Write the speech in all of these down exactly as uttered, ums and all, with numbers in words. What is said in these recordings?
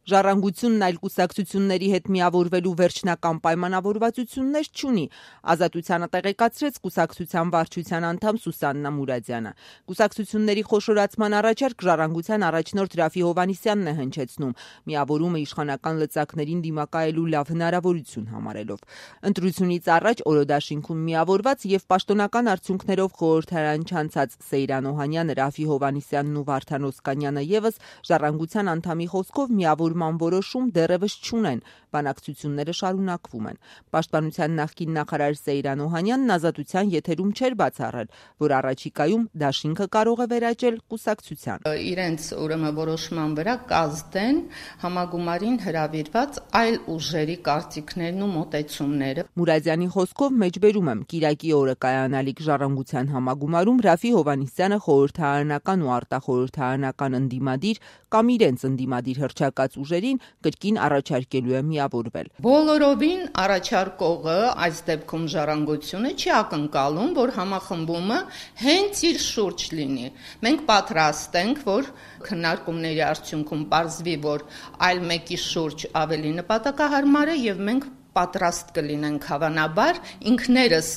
Ժառանգությունն այլ կուսակցությունների հետ միավորվելու վերջնական պայմանավորվածություններ չունի, Ազատությանը տեղեկացրեց կուսակցության վարչության անդամ Սուսաննա Մուրադյանը։ Կուսակցությունների խոշորացման առաջարկ Ժառանգության առաջնորդ Ռաֆի Հովհաննիսյանն է հնչեցնում, միավորումը իշխանական լծակներին դիմակայելու լավ հնարավորություն համարելով։ Ընտրությունից առաջ օրոդաշինքում միավորված եւ պաշտոնական արդյունքներով խորհրդարան չանցած Սեյրան Օհանյանը, Ռաֆի Հովհաննիսյանն ու Վարդան Օսկանյանը եւս Ժառանգության անդամի խոսքով միավոր որոշում դեռևս չունեն, բանակցությունները շարունակվում են։ Պաշտպանության նախկին նախարար Սեյրան Օհանյանն Ազատության եթերում չէր բացառել, որ առաջիկայում դաշինքը կարող է վերաճել կուսակցության։ Իրենց ուրեմն որոշման վրա կազդեն համագումարին հրավիրված այլ ուժերի կարծիքներն ու մոտեցումները։ Մուրադյանի խոսքով մեջբերում եմ Կիրակի օրը կայանալիք Ժառանգության համագումարում Ռաֆի Հովհաննիսյանը խորհրդարանական ու արտախորհրդարանական ընդդիմադիր կամ իրենց ընդդիմադիր հռչակած ուժերին կրկին առաջարկելու է միավորվել։ Բոլորովին առաջարկողը, այս դեպքում Ժառանգությունը, չի ակնկալում, որ համախմբումը հենց իր շուրջ լինի։ Մենք պատրաստ ենք, որ քննարկումների արդյունքում պարզվի, որ այլ մեկի շուրջ ավելի նպատակահարմար է եւ մենք պատրաստ կլինենք հավանաբար ինքներս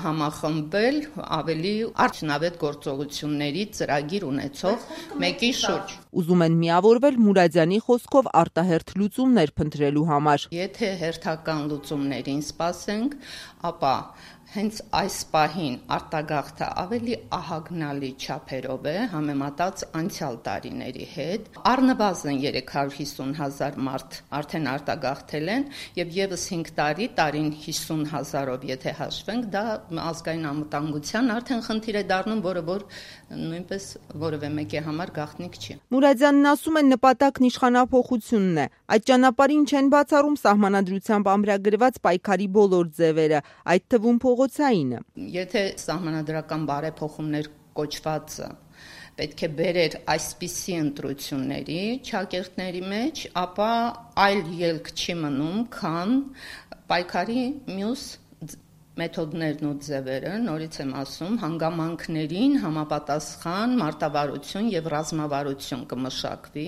համախմբել ավելի արդյունավետ գործողությունների ծրագիր ունեցող մեկի շուրջ։ Ուզում են միավորվել Մուրադյանի խոսքով արտահերթ լուծումներ փնտրելու համար։ Եթե հերթական լուծումներին սպասենք, ապա հենց այս պահին արտագաղթը ավելի ահագնալի չափերով է համեմատած անցյալ տարիների հետ։ Առնվազն երեք հարյուր հիսուն հազար մարդ արդեն արտագաղթել են եւ եւս հինգ տարի տարին հիսուն հազարով եթե հաշվենք, դա ազգային անվտանգության արդեն խնդիր է դառնում, որը որ նույնպես որևէ մեկի համար գաղտնիք չի։ Մուրադյանն ասում է նպատակն իշխանափոխությունն է։ Այդ ճանապարհին չեն բացառում սահմանադրությամբ ամրագրված պայքարի բոլոր ձևերը, այդ թվում փողոցայինը։ Եթե սահմանադրական բարեփոխումներ կոչվածը պետք է բերեր այսպիսի ընտրությունների չակերտների մեջ, ապա այլ ելք չի մնում, քան պայքարի մյուս մեթոդներն ու ձևերը, նորից եմ ասում, հանգամանքներին համապատասխան մարտավարություն եւ ռազմավարություն կմշակվի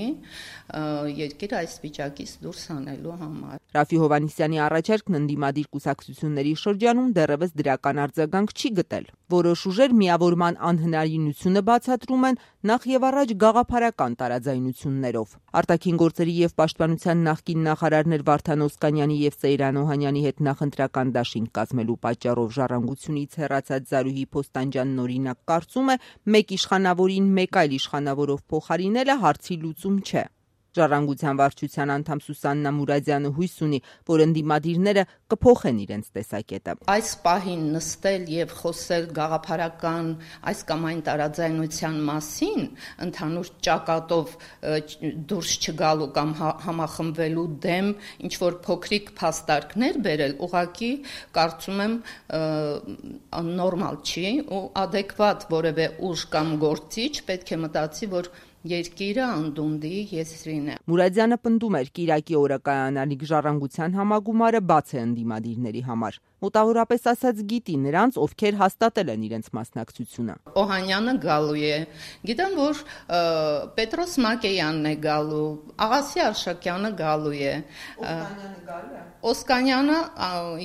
երկիրը այս վիճակից դուրս հանելու համար։ Ռաֆի Հովհաննիսյանի առաջարկն ընդդիմադիր կուսակցությունների շրջանում դեռևս դրական արձագանք չի գտել։ Որոշ ուժեր միավորման անհնարինությունը բացատրում են նախ եւ առաջ գաղափարական տարաձայնություններով։ Արտաքին գործերի եւ պաշտպանության նախկին նախարարներ Վարդան Օսկանյանի եւ Սեյրան Օհանյանի հետ նախընտրական դաշինք կազմելու պատճառով Ժառանգությունից հեռացած Զարուհի Փոստանջյանն օրինակ կարծում է, մեկ իշխանավորին մեկ այլ իշխանավորով փոխարինելը հարցի լուծում չէ։ Ժառանգության վարչության անդամ Սուսաննա Մուրադյանը հույս ունի, որ ընդդիմադիրները կփոխեն իրենց տեսակետը։ Այս պահին նստել եւ խոսել գաղափարական այս կամ այն տարաձայնության մասին, ընդհանուր ճակատով դուրս չգալու կամ համախմբվելու դեմ ինչ որ փոքրիկ փաստարկներ բերել, ուղղակի կարծում եմ նորմալ չի ու adekvat որևէ ուժ կամ գործիչ պետք է մտածի, որ երկիրը անդունդի եզրին է։ Մուրադյանը պնդում էր Կիրակի օրը կայանալիք Ժառանգության համագումարը բաց է ընդդիմադիրների համար։ Մոտավորապես ասած գիտի նրանց, ովքեր հաստատել են իրենց մասնակցությունը։ Օհանյանը գալու է։ Գիտեմ, որ Պետրոս Մակեյանն է գալու, Աղասի Արշակյանը գալու է։ Օսկանյանը գալու է։ Օսկանյանը,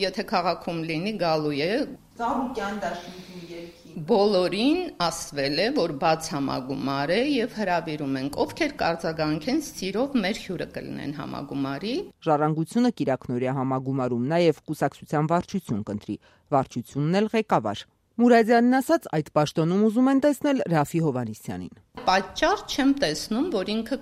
եթե քաղաքում լինի, գալու է։ Ծառուկյան դաշինքի երկի։ Բոլորին ասվել է, որ բաց համագումար է եւ հրավիրում ենք, ովքեր կարձագանքեն սիրով մեր հյուրը կլինեն համագումարի։ Ժառանգությունը Կիրակնորիա համագումարում նաեւ կուսակցության վարչություն կընտրի, վարչությունն էլ ղեկավար։ Մուրադյանն ասաց, այդ պաշտոնում ուզում են տեսնել Ռաֆի Հովհաննիսյանին։ Պատճառ չեմ տեսնում, որ ինքը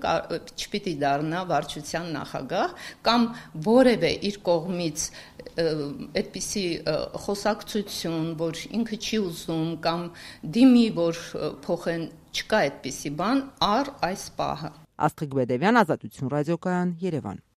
չպիտի դառնա վարչության նախագահ կամ որևէ իր կողմից այդպիսի խոսակցություն, որ ինքը չի ուզում կամ դիմի, որ փոխեն, չկա այդպիսի բան առ այս պահը։ Աստղիկ Բեդևյան, Ազատություն ռադիոկայան, Երևան։